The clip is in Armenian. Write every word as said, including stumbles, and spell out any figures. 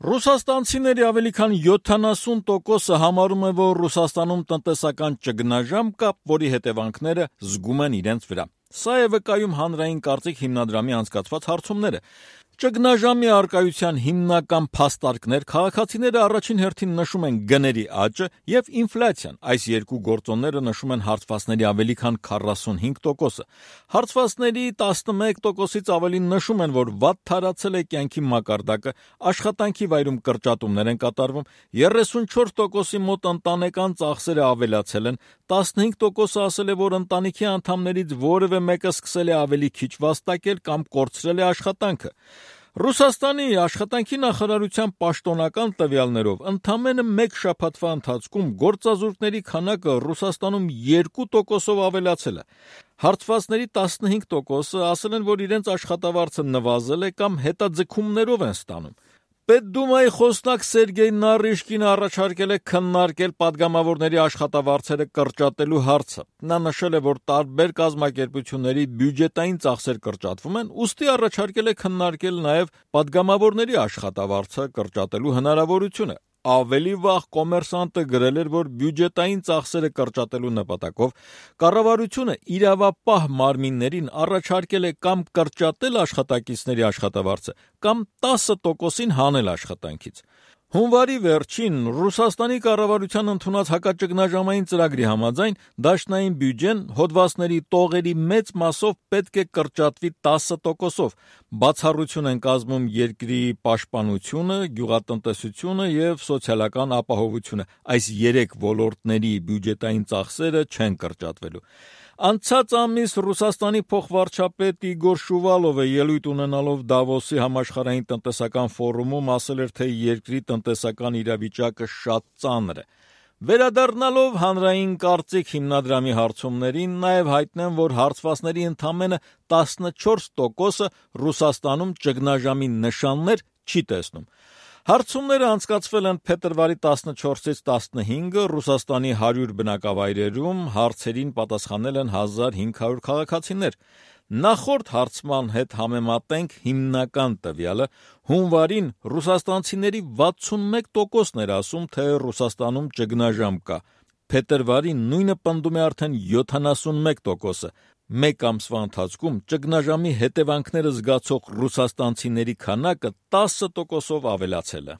Ռուսաստանցիների ավելի քան յոթանասուն տոկոսը համարում է, որ Ռուսաստանում տնտեսական ճգնաժամ կա, որի հետևանքները զգում են իրենց վրա։ Սա է վկայում հանրային կարծիք հիմնադրամի անցկացված հարցումները։ Ճգնաժամի առկայության հիմնական փաստարկներ քաղաքացիները առաջին հերթին նշում են գների աճը եւ ինֆլյացիան։ Այս երկու գործոնները նշում են հարցվածների ավելի քան քառասունհինգ տոկոսը։ Հարցվածների տասնմեկ տոկոսից ավելին նշում են, որ վատ թարացել է կյանքի մակարդակը, աշխատանքի վայրում կրճատումներ են կատարվում, երեսունչորս տոկոսի մոտ ընտանեկան ծախսերը ավելացել են, տասնհինգ տոկոսը ասել է, որ ընտանիքի անդամներից որևէ մեկը սկսել է ավելի քիչ վաստակել կամ կորցրել է աշխատանքը։ Ռուսաստանի աշխատանքի նախարարության պաշտոնական տվյալներով ընդամենը մեկ շաբաթվա ընթացքում գործազուրկների քանակը Ռուսաստանում երկու տոկոսով ավելացել է։ Հարցվածների տասնհինգ տոկոսը ասել են, որ իրենց աշխատավարձը նվազել է կամ հետաձգումներով են ստանում։ Պետդումայի խոսնակ Սերգեյ Նարիշկինը առաջարկել է քննարկել падգամավորների աշխատավարձերը կրճատելու հարցը։ Նա նշել է, որ տարբեր կազմակերպությունների բյուջետային ծախսեր կրճատվում են, ուստի առաջարկել է քննարկել նաև падգամավորների աշխատավարձը կրճատելու հնարավորությունը։ Ավելի վաղ Կոմերսանտը գրել էր, որ բյուջետային ծախսերը կրճատելու նպատակով կառավարությունը իրավապահ մարմիններին առաջարկել է կամ կրճատել աշխատակիցների աշխատավարձը, կամ տասը տոկոսին հանել աշխատանքից։ Հունվարի վերջին Ռուսաստանի կառավարության ընդունած հակաճգնաժամային ծրագրի համաձայն դաշնային բյուջեն հոդվածների տողերի մեծ մասով պետք է կրճատվի տասը տոկոսով։ Բացառություն են կազմում երկրի պաշտպանությունը, գյուղատնտեսությունը եւ սոցիալական ապահովությունը։ Այս երեք ոլորտների բյուջետային ծախսերը չեն կրճատվելու։ Անցած ամիս Ռուսաստանի փոխվարչապետ Իգոր Շուվալովը ելույթ ունենալով Դավոսի համաշխարհային տնտեսական ֆորումում ասել էր, թե երկրի տնտեսական իրավիճակը շատ ծանր է։ Վերադառնալով հանրային կարծիք հիմնադրամի հարցումներին, նաև հայտնեմ, որ հարցվածների ընդամենը տասնչորս տոկոսը Ռուսաստանում ճգնաժամի նշաններ չի տեսնում։ Հարցումները անցկացվել են փետրվարի տասնչորսից տասնհինգը Ռուսաստանի հարյուր բնակավայրերում, հարցերին պատասխանել են հազար հինգ հարյուր քաղաքացիներ։ Նախորդ հարցման հետ համեմատենք հիմնական տվյալը, հունվարին ռուսաստանցիների վաթսունմեկ տոկոսն էր ասում, թե Ռուսաստանում ճգնաժամ կա։ Փետրվարին նույնը պնդում է արդեն յոթանասունմեկ տոկոսը։ Մեկ ամսվա ընթացքում ճգնաժամի հետևանքները զգացող ռուսաստանցիների քանակը տասը տոկոսով ավելացել է։